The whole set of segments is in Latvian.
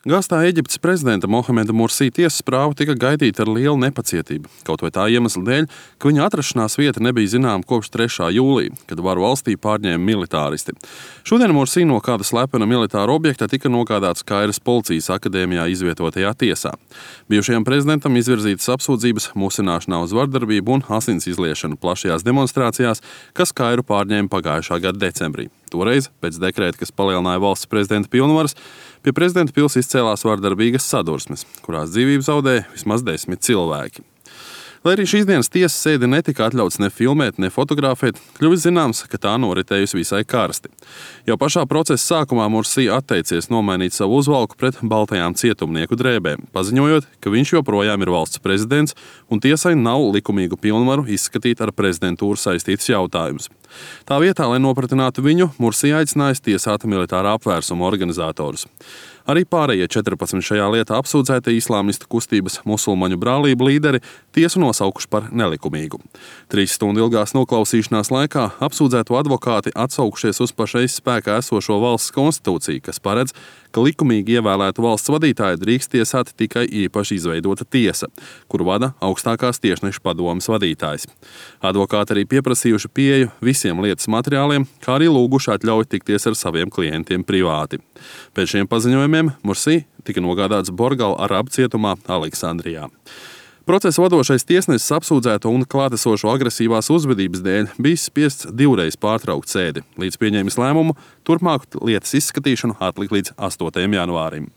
Gastā Eģiptes prezidenta Mohameda Mursī tiesas prāva tika gaidīta ar lielu nepacietību, kaut vai tā iemesla dēļ, ka viņa atrašanās vieta nebija zināma kopš 3. jūlija, kad varu valstī pārņēma militāristi. Šodien Mursī no kāda slepena militāra objekta tika nogādāts Kairas policijas akadēmijā izvietotajā tiesā. Bijušajam prezidentam izvirzītas apsūdzības musināšanā uz vardarbību un asins izliešanu plašajās demonstrācijās, kas Kairu pārņēma pagājušā gada decembrī. Toreiz, pēc dekrēta, kas palielināja valsts prezidenta pilnvaras, pie prezidenta pils izcēlās vardarbīgas sadursmes, kurās dzīvību zaudēja vismaz 10 cilvēki. Lai arī šīs dienas tiesas sēdi netika atļauts ne filmēt, ne fotografēt, kļuvis zināms, ka tā noritējusi visai karsti. Jau pašā procesa sākumā Mursī atteicies nomainīt savu uzvalku pret baltajām cietumnieku drēbēm, paziņojot, ka viņš joprojām ir valsts prezidents un tiesai nav likumīgu pilnvaru izskatīt ar prezidentūru saistītus jautājumus. Tā vietā, lai nopratinātu viņu, Mursī aicinājis tiesāt militārā apvērsuma organizatorus. Arī pārējie 14 šajā lietā apsūdzētie islāmistu kustības musulmaņu brālību līderi tiesu nosaukuši par nelikumīgu. 3 stundu ilgās noklausīšanās laikā apsūdzēto advokāti atsaukušies uz pašreiz spēkā esošo valsts konstitūciju, kas paredz, ka likumīgi ievēlētu valsts vadītāju drīkst tiesāt tikai īpaši izveidota tiesa, kuru vada augstākās tiesnešu padomes vadītājs. Advokāti arī pieprasījuši pieeju visiem lietas materiāliem, kā arī lūguši atļauju tikties ar saviem klientiem privāti. Pēc šiem paziņojumiem Mursī tika nogādāts Borgal Arabu cietumā Aleksandrijā. Procesa vadošais tiesnesis apsūdzēto un klātesošo agresīvās uzvedības dēļ bija spiests 2 reizes pārtraukt sēdi, līdz pieņēmis lēmumu turpmāku lietas izskatīšanu atlikt līdz 8. janvārim.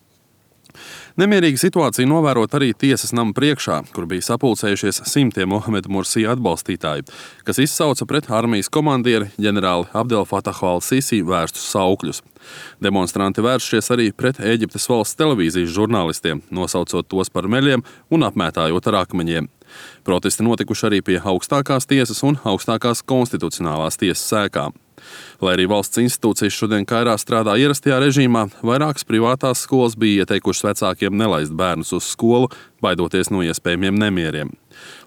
Nemierīga situācija novērot arī tiesas nama priekšā, kur bija sapulcējušies simtiem Mohameda Mursī atbalstītāju, kas izsauca pret armijas komandieri ģenerāli Abdel Fatahu al-Sisi vērstus saukļus. Demonstranti vēršies arī pret Ēģiptes valsts televīzijas žurnālistiem, nosaucot tos par meļiem un apmētājot ar akmeņiem. Protesti notikuši arī pie augstākās tiesas un augstākās konstitucionālās tiesas sēkām. Lai arī valsts institūcijas šodien Kairā strādā ierastajā režīmā, vairākas privātās skolas bija ieteikušas vecākiem nelaist bērnus uz skolu, baidoties no iespējamiem nemieriem.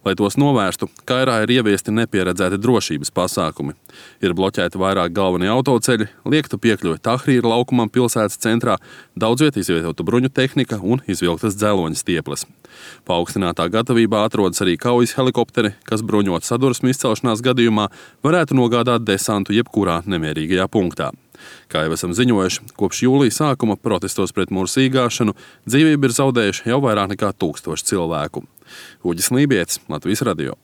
Lai tos novērstu, Kairā ir ieviesti nepieredzēti drošības pasākumi. Ir bloķēti vairāk galvenie autoceļi, liekta piekļuve Tahrīra laukumam pilsētas centrā, daudzviet izvietota bruņu tehnika un izvilktas dzeloņa stieples. Paaugstinātā gatavībā atrodas arī kaujas helikopteri, kas bruņot sadursmu izcelšanās gadījumā varētu nogādāt desantu jebkurā nemierīgajā punktā. Kā jau esam ziņojuši, kopš jūlija sākuma protestos pret Mursī gāšanu dzīvību ir zaudējuši jau vairāk nekā 1000 cilvēku. Uģis Lībietis, Latvijas radio.